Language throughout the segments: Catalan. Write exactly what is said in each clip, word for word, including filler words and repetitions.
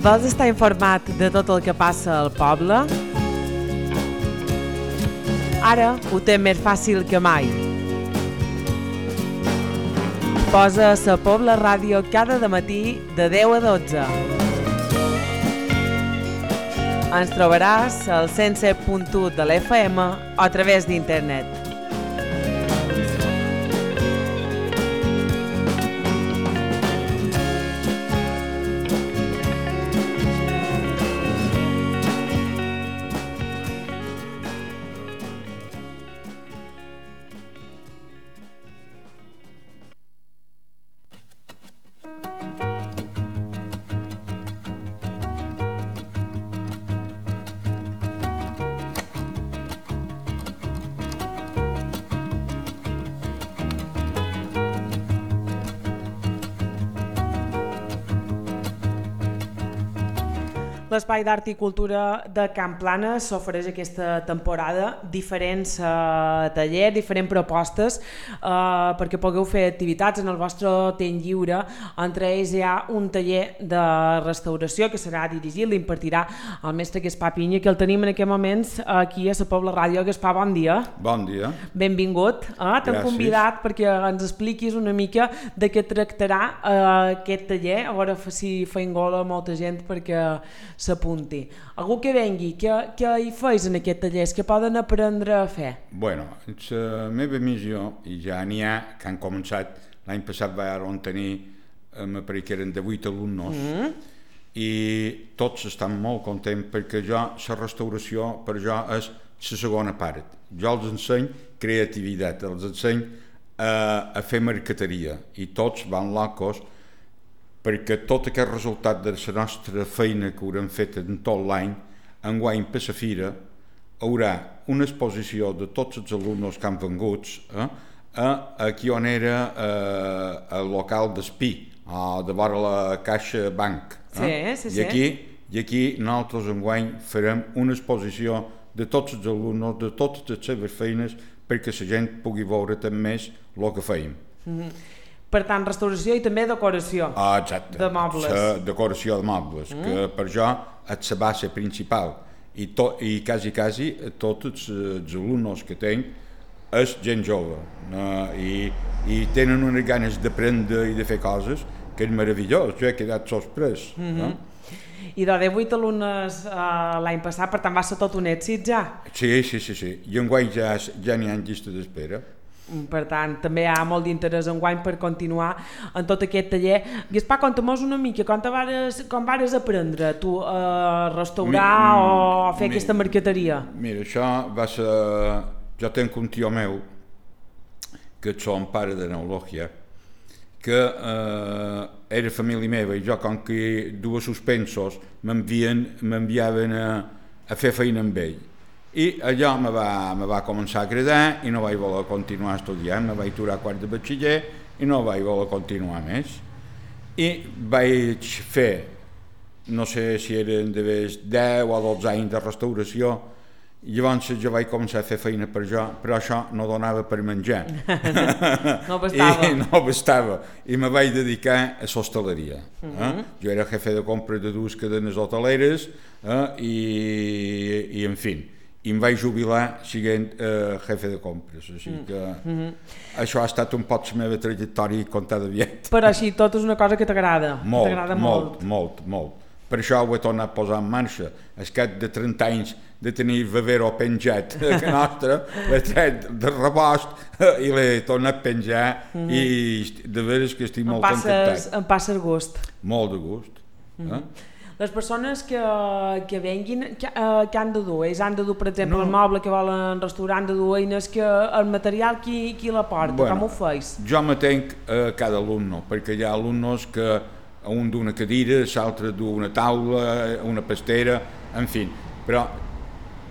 Vols estar informat de tot el que passa al poble? Ara ho té més fàcil que mai. Posa la Pobla Ràdio cada dematí de deu a dotze. Ens trobaràs al cent set punt u de l'F M o a través d'internet. L'Espai d'Art i Cultura de Can Planes s'ofereix aquesta temporada diferents eh, tallers, diferents propostes eh, perquè pugueu fer activitats en el vostre temps lliure. Entre ells hi ha un taller de restauració que serà dirigit, l'impartirà el mestre Gaspar Pinya, que el tenim en aquests moments aquí a la Pobla Ràdio. Gaspar, bon dia. Bon dia. Benvingut. Eh? T'hem convidat perquè ens expliquis una mica de què tractarà eh, aquest taller, a veure si fa engola molta gent perquè s'apunti. Algú que vengui, què, què hi feis en aquest taller? Què poden aprendre a fer? Bueno, la meva missió, i ja n'hi ha que han començat, l'any passat vam tenir, me pareix que eren de vuit alumnes, mm. i tots estan molt contents perquè jo, la restauració per jo és la segona part. Jo els enseny creativitat, els enseny a, a fer marqueteria, i tots van locos perquè tot aquest resultat de la nostra feina que haurem fet en tot l'any, enguany per la fira, haurà una exposició de tots els alumnes que han vengut eh, a, aquí on era eh, el local d'Espí, de vora la Caixa Banc. Eh? Sí, sí, sí. I aquí, I aquí nosaltres enguany farem una exposició de tots els alumnes, de totes les seves feines, perquè la gent pugui veure també el que feim. Mm-hmm. Per tant, restauració i també decoració ah, exacte. de mobles. La decoració de mobles, mm. que per jo és la base principal. I, to, i quasi, quasi, tots els alumnes que tenc és gent jove. Uh, i, I tenen unes ganes d'aprendre i de fer coses que és meravellós. Jo he quedat sorprès. Mm-hmm. uh? I de divuit alumnes uh, l'any passat, per tant va ser tot un èxit ja? Sí, sí, sí. sí. I enguany ja, ja n'hi ha en llista d'espera. Per tant, també hi ha molt d'interès enguany per continuar en tot aquest taller. Gaspar, conta'm-nos una mica, com, vares, com vares aprendre tu a restaurar mi, o a fer mi, aquesta marqueteria? Mira, això va ser... Jo tenc un tio meu, que és son pare de neurologia, que eh, era família meva, i jo, com que dues suspensos, m'enviaven a, a fer feina amb ell. I allò me va, me va començar a agradar i no vaig voler continuar estudiant, me vaig aturar quart de batxiller i no vaig voler continuar més. I vaig fer, no sé si eren de deu o dotze anys de restauració, i llavors jo vaig començar a fer feina per jo, però això no donava per menjar. No bastava. I no bastava. I me vaig dedicar a l'hostaleria. Uh-huh. eh? Jo era jefe de compra de dues cadenes hoteleres eh? I, i, en fi, i em vaig jubilar sent eh, jefe de compres, així que mm-hmm. això ha estat un poc la meva trajectòria contada aviat. Però així tot és una cosa que t'agrada. Molt, t'agrada molt, molt, molt, molt. Per això ho he tornat a posar en marxa. Al cap de trenta anys de tenir Vivero penjat a casa nostra, l'he tret de rebost i l'he tornat a penjar mm-hmm. i de veres que estic molt contentat. Em passa el gust. Molt de gust. Mm-hmm. eh? Les persones que, que venguin, que, uh, que han de dur? Ells han de dur, per exemple, no. el moble que volen restaurar, han de dur eines, que el material qui, qui la porta? Bueno, com ho feis? Jo m'atenc a cada alumne, perquè hi ha alumnes que un d'una cadira, l'altre d'una taula, una pastera, en fi. Però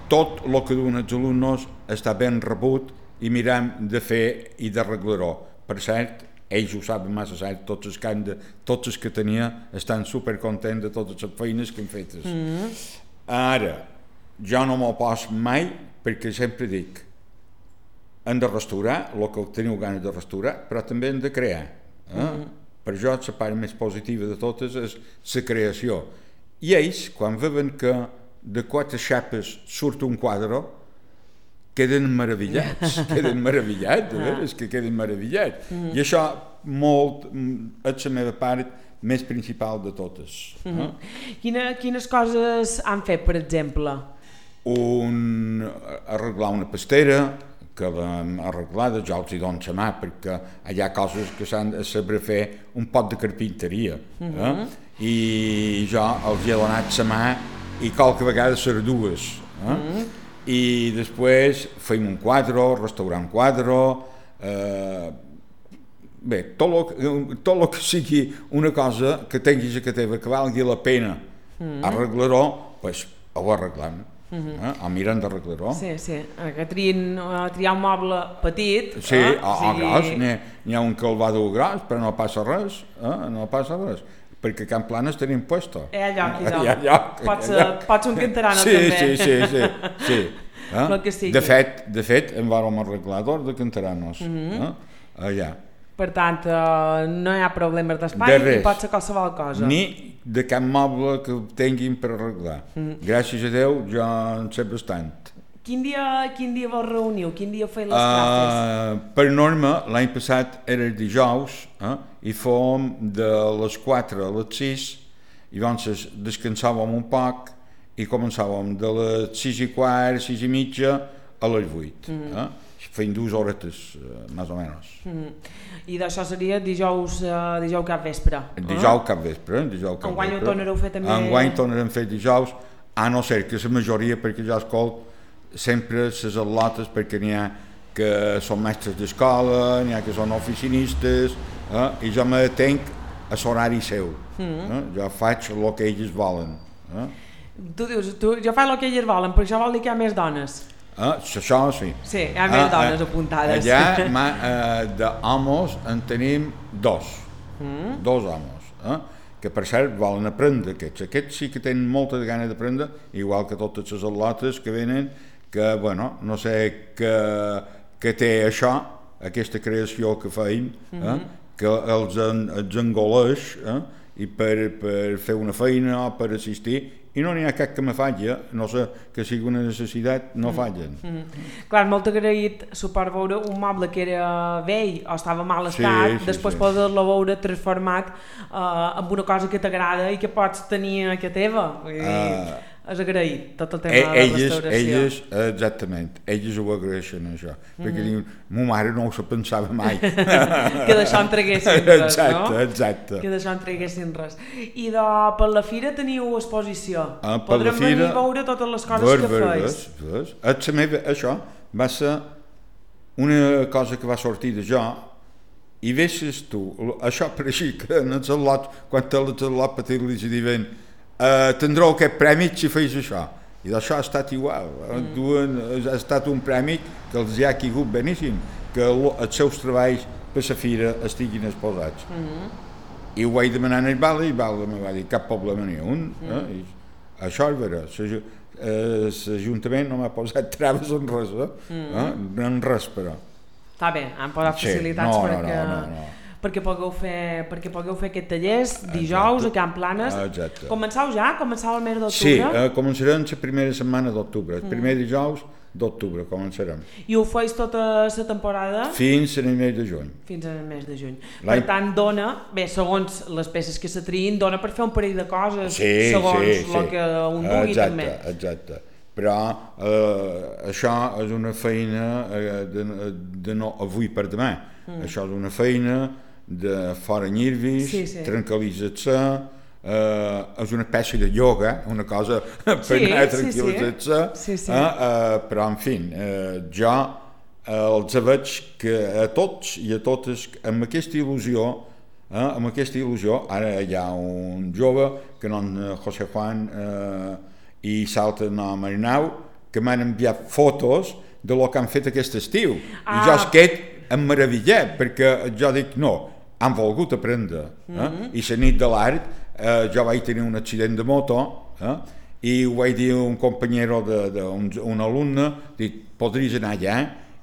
tot el que duen els alumnes està ben rebut i mirem de fer i d'arreglar-ho. Per cert, ells ho saben massa cert, tots els que, de, tots els que tenia estan supercontents de totes les feines que han fetes. Mm-hmm. Ara, jo no m'ho pos mai perquè sempre dic, hem de restaurar el que teniu ganes de restaurar, però també hem de crear. Eh? Mm-hmm. Per jo la part més positiva de totes és la creació. I ells, quan veuen que de quatre xapes surt un quadre, queden meravellats, queden meravellats, de veres que queden meravellats. Mm. I això molt, és la meva part més principal de totes. Mm-hmm. eh? Quina, quines coses han fet, per exemple? Un, arreglar una pastera, que l'hem arreglada, jo els hi dono la mà, perquè hi ha coses que s'han de saber fer un pot de carpinteria. Mm-hmm. eh? I jo els hi he donat la mà i qualque vegada ser dues. Eh? Mm-hmm. I després feim un quadre, restaurar un quadre, eh, bé, tot el que sigui una cosa que tinguis a que teva, que valgui la pena mm. arreglar-ho, pues, ho arreglem. Mm-hmm. eh? O mirem d'arreglar-ho. Sí, sí, que triïn, triar un moble petit. Sí, eh? o, o gros, n'hi ha un que el va dur gros, però no passa res, eh? no passa res. Perquè Can Planes tenim puesto. Hi ha lloc, hi ha lloc. Pots, pots un cantarano, sí, també. Sí, sí, sí. sí. Eh? Que sigui. De fet, de fet, en vàrem arreglar d'or de cantaranos. Mm-hmm. eh? Allà. Per tant, uh, no hi ha problemes d'espai i pot ser qualsevol cosa. Ni de cap moble que tinguin per arreglar. Mm-hmm. Gràcies a Déu, jo en sé bastant. Quin dia, quin dia vos reuniu? Quin dia feu les classes? Uh, per norma, l'any passat era el dijous, eh? i fòm de les quatre a les sis, i llavors descansàvem un poc i començàvem de les sis i quart, sis i mitja a les vuit. Mm-hmm. eh? Feim dues horetes, uh, més o menys. Mm-hmm. I d'això seria dijous, uh, dijous cap vespre? Dijous cap vespre. Dijous cap Enguany ho tornareu a fer també? Enguany tornarem a fer dijous, a no ser que la majoria, perquè ja escolt sempre les al·lotes, perquè n'hi ha que són mestres d'escola, n'hi ha que són oficinistes, eh? i jo m'atenc a l'horari seu. Mm-hmm. eh? Jo faig el que ells volen. Eh? Tu dius, tu, jo faig el que ells volen, però això vol dir que hi ha més dones. Eh? Això sí. Sí, hi ha més eh, dones eh, apuntades. Allà, ma, eh, d'homos en tenim dos. Mm. Dos homes. Eh? Que per cert volen aprendre aquests. Aquests sí que tenen molta gana d'aprendre, igual que totes les al·lotes que venen, que, bueno, no sé què, què té això, aquesta creació que feim, eh? Mm-hmm. que els, en, els engoleix, eh? i per, per fer una feina o per assistir, i no n'hi ha cap que me falla, no sé, que sigui una necessitat, no fallen. Mm-hmm. Clar, molt agraït suport veure un moble que era vell o estava mal estat, sí, sí, després sí. poder-lo veure transformat uh, en una cosa que t'agrada i que pots tenir a casa teva. Vull dir, uh, és agraït tot el tema e- de la restauració. Elles, exactament, elles ho agraeixen això, mm-hmm. perquè diuen, ma mare no ho se pensava mai. Que d'això en traguessin res, exacte, no? Exacte. Que d'això en traguessin res. I de, per la fira teniu exposició. Ah, podrem fira, venir a veure totes les coses ver, que ver, feis. Ves, ves. Meva, això va ser una cosa que va sortir de jo, i veixes tu, això per així que en els al·lots, quan te els al·lots petits li diuen Uh, tindreu aquest premi si feis això, i d'això ha estat igual. Mm. Duen, ha estat un premi que els hi ha caigut beníssim, que lo, els seus treballs per la fira estiguin exposats. Mm-hmm. I ho vaig demanar al Vale, i Vale em va dir cap problema ni un. Mm. Eh? I això és vera, l'Ajuntament no m'ha posat traves en res, eh? Mm. eh? en res, però. Està bé, han posat sí. facilitats no, perquè... No, no, no, no. perquè pugueu fer, perquè pugueu fer aquest tallers dijous a Can Planes. Exacte. Començau ja? Començau el mes d'octubre? Sí, eh, començarem la primera setmana d'octubre, el primer mm. dijous d'octubre començarem. I ho feis tota la temporada? Fins al mes de juny. Fins al mes de juny. Per tant, dona, bé, segons les peces que se triïn, dona per fer un parell de coses, sí, segons sí, el sí. que un vulgui exacte, també. Exacte, però eh, això és una feina eh, de, de no avui per demà. Mm. Això és una feina de fora nervis, sí, sí. tranquil·litzar-se, eh, és una espècie de yoga, una cosa per sí, anar tranquil·litzar-se, sí, sí. eh, eh, però en fi, eh, jo eh, els veig que a tots i a totes amb aquesta il·lusió, eh, amb aquesta il·lusió, ara hi ha un jove que no en José Juan eh, i salta no Marinau, que m'han enviat fotos de lo que han fet aquest estiu, ah. i jo es quedo emmeravillat, perquè jo dic no, han volgut aprendre. Eh? Mm-hmm. I la nit de l'art eh, jo vaig tenir un accident de moto eh? i ho vaig dir a un companyero, de, de, un, un alumne, dic, podries anar allà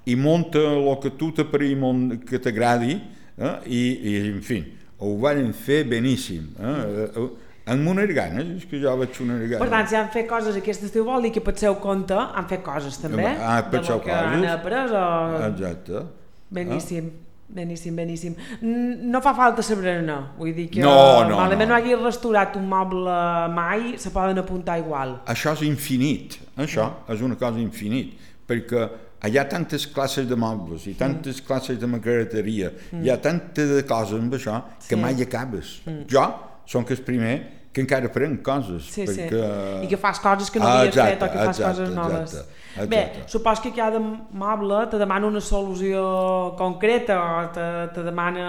i munta el que tu t'apareix que t'agradi eh? I, i, en fi, ho van fer beníssim. Eh? amb unes ganes, és que jo vaig unes ganes. Per tant, si han fet coses aquest estiu vol dir que pel seu compte han fet coses també, ah, de lo que han après o... Exacte. Beníssim, ah. beníssim, beníssim. No fa falta saber-ne, vull dir que no, no, malament no. no hagi restaurat un moble mai, se poden apuntar igual. Això és infinit, això mm. és una cosa infinit, perquè hi ha tantes classes de mobles i tantes mm. classes de maqueteria, mm. hi ha tantes de coses amb això que sí. mai acabes. Mm. Jo som que el primer que encara aprenc coses. Sí, perquè... sí. I que fas coses que no havies exacte, fet o que fas exacte, coses noves. Exacte, exacte. Bé, supos que cada moble te demana una solució concreta o te, te demana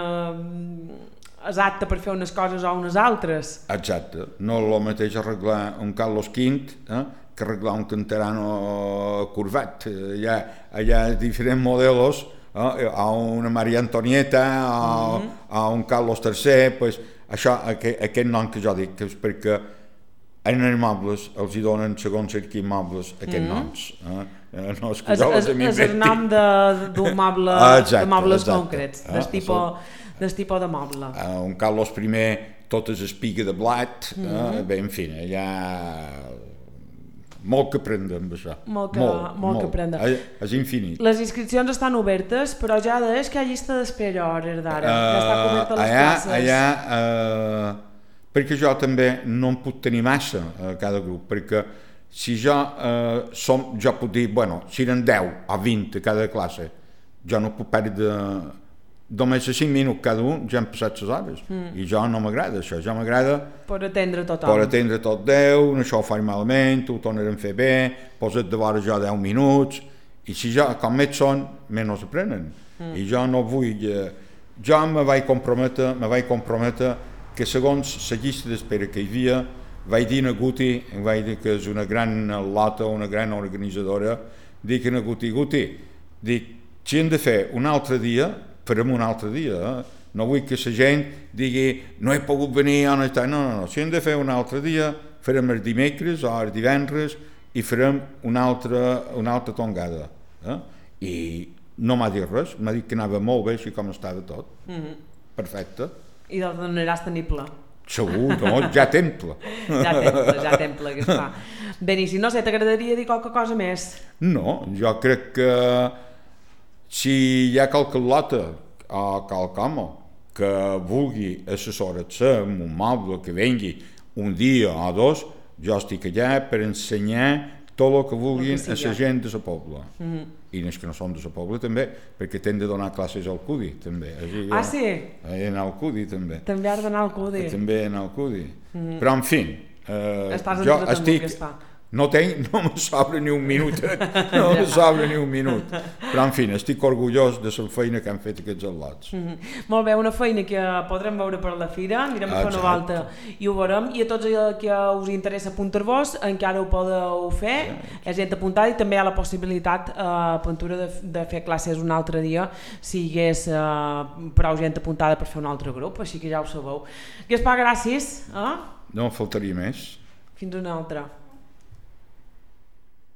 exacta per fer unes coses o unes altres. Exacte. No és el mateix arreglar un Carlos quinze eh, que arreglar un Canterano curvat. Hi ha, hi ha diferents modelos, eh, a una Maria Antonieta, a, mm-hmm. a un Carlos tercer, pues, això, aquest, aquest nom que jo dic, que és perquè en els mobles els hi donen, segons quins mobles, aquests mm-hmm. noms. Eh? No és que jo els m'inventi. És el nom d'un moble, exacte, de mobles exacte. concrets, eh? del tipus, del tipus de moble. Uh, un Carlos primer, totes espiga de blat, mm-hmm. eh? Bé, en fi, hi ha molt que aprendre amb això. Molt que, molt, molt molt. que aprendre. És, és infinit. Les inscripcions estan obertes, però ja deies que hi ha llista d'espera a hores d'ara. Uh, ja està coberta les allà, classes. Allà, uh, perquè jo també no en puc tenir massa a cada grup, perquè si jo, uh, som, jo puc dir, bueno, si eren deu o vint a cada classe, jo no puc perdre només a cinc minuts cada un, ja han passat les hores. Mm. I jo no m'agrada això, jo m'agrada... Per atendre tothom. Per atendre tot deu, això ho faig malament, ho tornarem a fer bé, posa't de vora jo deu minuts, i si jo, com més són, menys aprenen. Mm. I jo no vull... Eh, jo me vaig comprometre, me vaig comprometre que segons la llista d'espera que hi havia, vaig dir a Guti, vaig dir que és una gran lota, una gran organitzadora, dic a Guti, Guti, dic, si hem de fer un altre dia, farem un altre dia, eh? No vull que la gent digui no he pogut venir, no, no, no, si hem de fer un altre dia, farem els dimecres o els divendres i farem una altra, una altra tongada. Eh? I no m'ha dit res, m'ha dit que anava molt bé així com estava tot. Mm-hmm. Perfecte. I doncs donaràs tenible. Segur, no? Ja temple. ja temple, ja temple que es fa. Beníssim, no sé, t'agradaria dir qualque cosa més? No, jo crec que si hi ha qualque lota o qualcom que vulgui assessorar-se amb un moble que vengui un dia o dos, jo estic allà per ensenyar tot el que vulguin a la gent de la pobla. Mm-hmm. I els que no són de la pobla també, perquè tenen de donar classes al CUDI també. Així, ah, sí? He d'anar al CUDI també. També has d'anar al CUDI. També he d'anar al CUDI. Mm-hmm. Però en fi, eh, jo estic... No, tenc, no me sobra ni un minut, no me sobra ni un minut. Però, en fi, estic orgullós de la feina que han fet aquests al·lots. Mm-hmm. Molt bé, una feina que podrem veure per la fira, anirem a fer una volta i ho veurem. I a tots els que us interessa apuntar-vos, encara ho podeu fer, és gent apuntada i també hi ha la possibilitat a uh, Apuntura de, de fer classes un altre dia si hi hagués uh, prou gent apuntada per fer un altre grup, així que ja ho sabeu. Gaspar, gràcies. Eh? No faltaria més. Fins una altra.